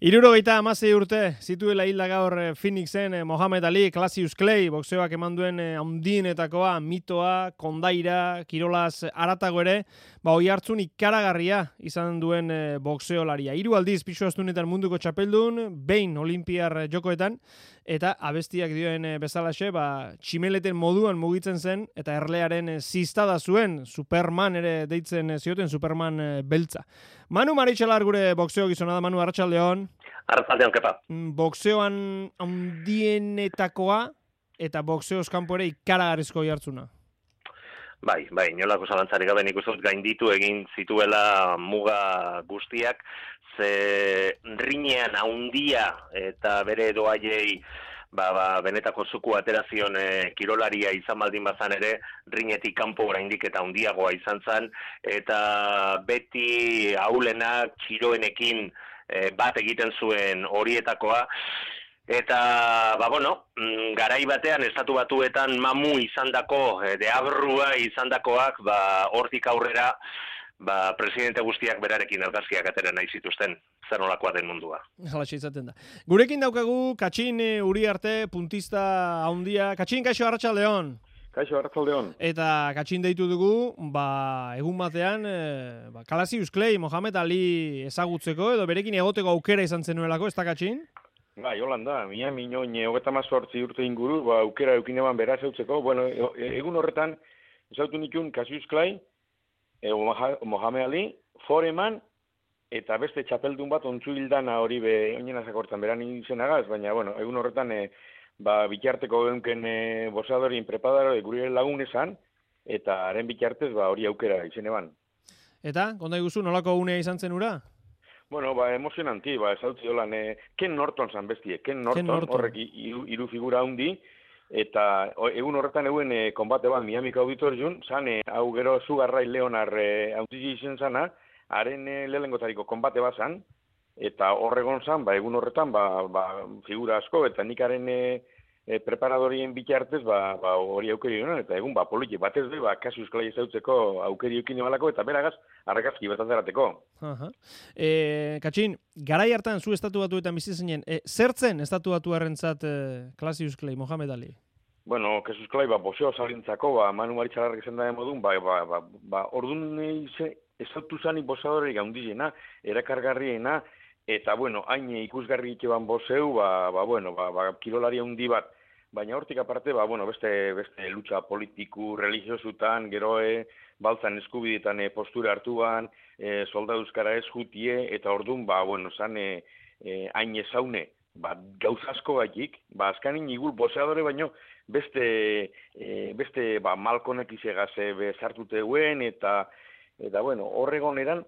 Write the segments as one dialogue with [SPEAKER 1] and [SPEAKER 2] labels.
[SPEAKER 1] 76 urte zituela hilda gaur Phoenixen Mohamed Ali, Cassius Clay, boxeoak eman duen handienetakoa, mitoa, kondaira, kirolaz aratago ere, oihartzun ikaragarria izan duen boxeolaria. 3 aldiz pisu astunetan munduko txapeldun, behin olimpiar jokoetan, eta abestiak dioen bezalaxe, tximeleten moduan mugitzen zen, eta erlearen ziztada zuen, Superman ere deitzen zioten, Superman beltza. Manu Maritxalar gure boxeo gizona da. Manu, arratsaldeon.
[SPEAKER 2] Arratsaldeon, kepa.
[SPEAKER 1] Boxeoan handienetakoa eta boxeoz kanpo ere ikaragarrizko oihartzuna.
[SPEAKER 2] Bai, inolako zalantzarik gabe nik uste dut gainditu egin zituela muga guztiak, ze rinean handia eta bere doaiei benetako zuku aterazion kirolaria izan baldin bazan ere, rinetik kanpo oraindik eta handiagoa izan zen, eta beti aulenak txiroenekin bat egiten zuen horietakoa, eta, garai batean estatu batuetan mamu izandako, deabrua izandakoak, hortik aurrera, presidente guztiak berarekin argazkiak atera nahi zituzten, zer nolakoa den mundua.
[SPEAKER 1] Halaxe izaten da. Gurekin daukagu Katxin Uriarte, puntista handia. Katxin, kaixo, arratsaldeon.
[SPEAKER 3] Kaixo, arratsaldeon.
[SPEAKER 1] Eta Katxin deitu dugu, egun batean, Cassius Clay, Mohamed Ali ezagutzeko, edo berekin egoteko aukera izan zenuelako, ez da, Katxin?
[SPEAKER 3] Bai, holanda, Miami 38 urte inguru, aukera eukin eman beraz eutzeko. Bueno, egun horretan, ezautu nikun Cassius Clay, Mohamed Ali, Foreman, eta beste txapeldun bat ontsu hildana hori oinena zakortan beran izenagaz, baina, egun horretan bitarteko egunken boxeadorin preparador gure lagun esan, eta haren bitartez hori aukera izen eban.
[SPEAKER 1] Eta, konta iguzu, nolako unea izan zen ura?
[SPEAKER 3] Bueno, emozionanti, ezautzi dolan, Ken Norton zan bestie, Ken Norton, horrek hiru figura handi, eta egun horretan eguen konbate bat Miamiko Auditorium, zan hau gero Sugarray Leonard hautzi izen zana, haren lehengotariko konbate bat zan, eta horregon zan, egun horretan, figura asko, eta nik haren preparadorien bitartez, hori aukeri honen, eta egun, politik batez be, Cassius Clay ezautzeko aukeri eukin emalako, eta beragaz, arrakazki bertazerateko.
[SPEAKER 1] Katxin, garai hartan zu estatu batuetan bizi zinen, zertzen estatu batuarrentzat Cassius Clay, Mohamed Ali?
[SPEAKER 3] Bueno, Cassius Clay, boxeo zalintzako, Manu Maritxalarrak izan da modun, orduan ezautu zanik boxeadorerik handizena, erakargarriena, eta, hain ikusgarri ikeban bozeu, kirolari handi bat, baina hortik aparte, beste lucha politiku, religiosutan, geroe, baltzan eskubidetan postura hartuan, soldaduzkara ez jutie, eta orduan, zan hain ezaune, gauzasko gaitik, azkanin igul bozeadore, baino, beste malkonek izegaz bezartute guen, eta horregon eran,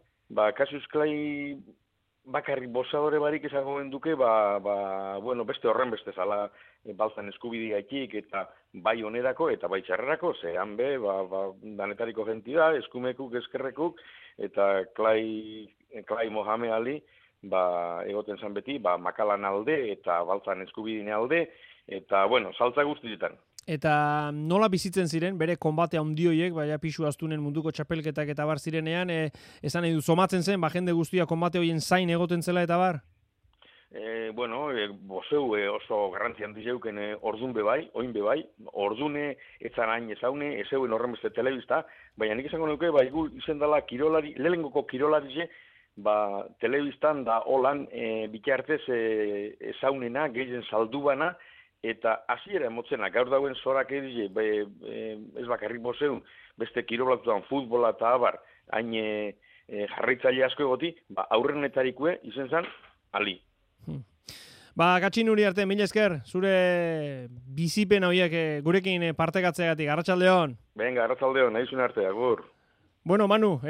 [SPEAKER 3] Cassius Clay bakarrik boxeadore barik esango genduke, beste horren beste zala baltzan eskubide gaitik, eta bai onerako, eta bai txarrerako, zehan danetariko gentida, eskumekuk, eskerrekuk, eta Clay Mohamed Ali, egoten zan beti, makalan alde, eta baltzan eskubidine alde, eta, saltza guztietan.
[SPEAKER 1] Eta nola bizitzen ziren, bere konbate handioiek, pisu astunen munduko txapelketak eta bar zirenean, esan nahi du, somatzen zen, jende guztia konbate hoien zain egoten zela eta bar?
[SPEAKER 3] Bozeu oso garrantzi handi zeuken ordun bebai, oin bebai, ordune etzan hain ezaune, ezeuen horren beste telebista, baina nik esango nuke, izen dela kirolari, lehengoko kirolari telebistan da holan bitartez ezaunena, gehien saldubana, eta hasiera emotzena, gaur dauen zorak edize, ez bakarrik bozeun, beste kirolatuan futbola eta abar, hain jarraitzaile asko egoti, aurrenetarikue izen zan, Ali.
[SPEAKER 1] Katxin Uriarte, mila esker, zure bizipen horiek gurekin partekatzeagatik, arratsaldeon.
[SPEAKER 3] Venga, arratsaldeon, nahizun arte, agur.
[SPEAKER 1] Bueno, Manu,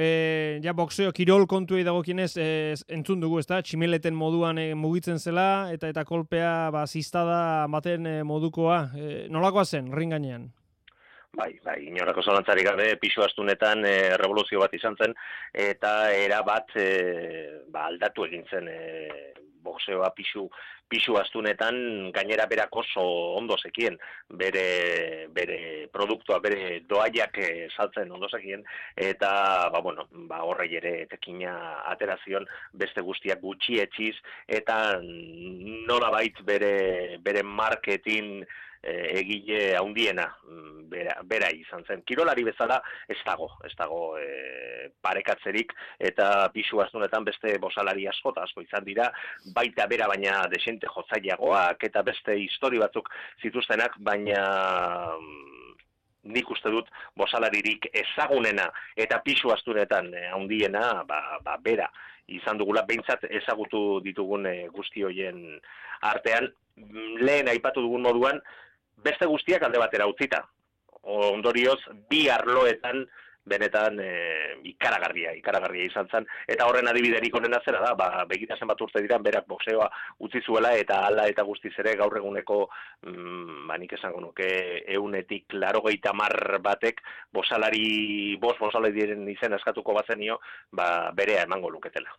[SPEAKER 1] boxeo, kirol kontuei dagokienez entzun dugu, ezta? Tximeleten moduan mugitzen zela, eta kolpea ziztada baten modukoa. Nolakoa zen, ring gainean?
[SPEAKER 2] Bai, inorako zalantzarik gabe, pisu astunetan revoluzio bat izan zen, eta era bat aldatu egin zen boxeoa pisu astunetan gainera berak oso ondo zekien, bere produktua, bere doaiak saltzen ondo zekien, eta horrei ere etekina aterazion beste guztiak gutxi etxiz, eta nolabait bere marketing egile handiena bera izan zen. Kirolari bezala ez dago parekatzerik, eta pisu astunetan beste bosalari asko izan dira, baita bera baina desente jotzaileagoak eta beste histori batzuk zituztenak, baina nik uste dut bosalaririk ezagunena eta pisu astunetan handiena bera izan dugula, behintzat ezagutu ditugun guzti hoien artean. Lehen aipatu dugun moduan, beste guztiak alde batera utzita. Ondorioz, bi arloetan benetan ikaragarria izan zen, eta horren adibiderik onena zera da, begira zenbat urte diran berak boxeoa utzi zuela, eta hala eta guztiz ere gaur eguneko, nik esango nuke, 190 batek bosalari diren izena eskatuko bazenio, berea emango luketela.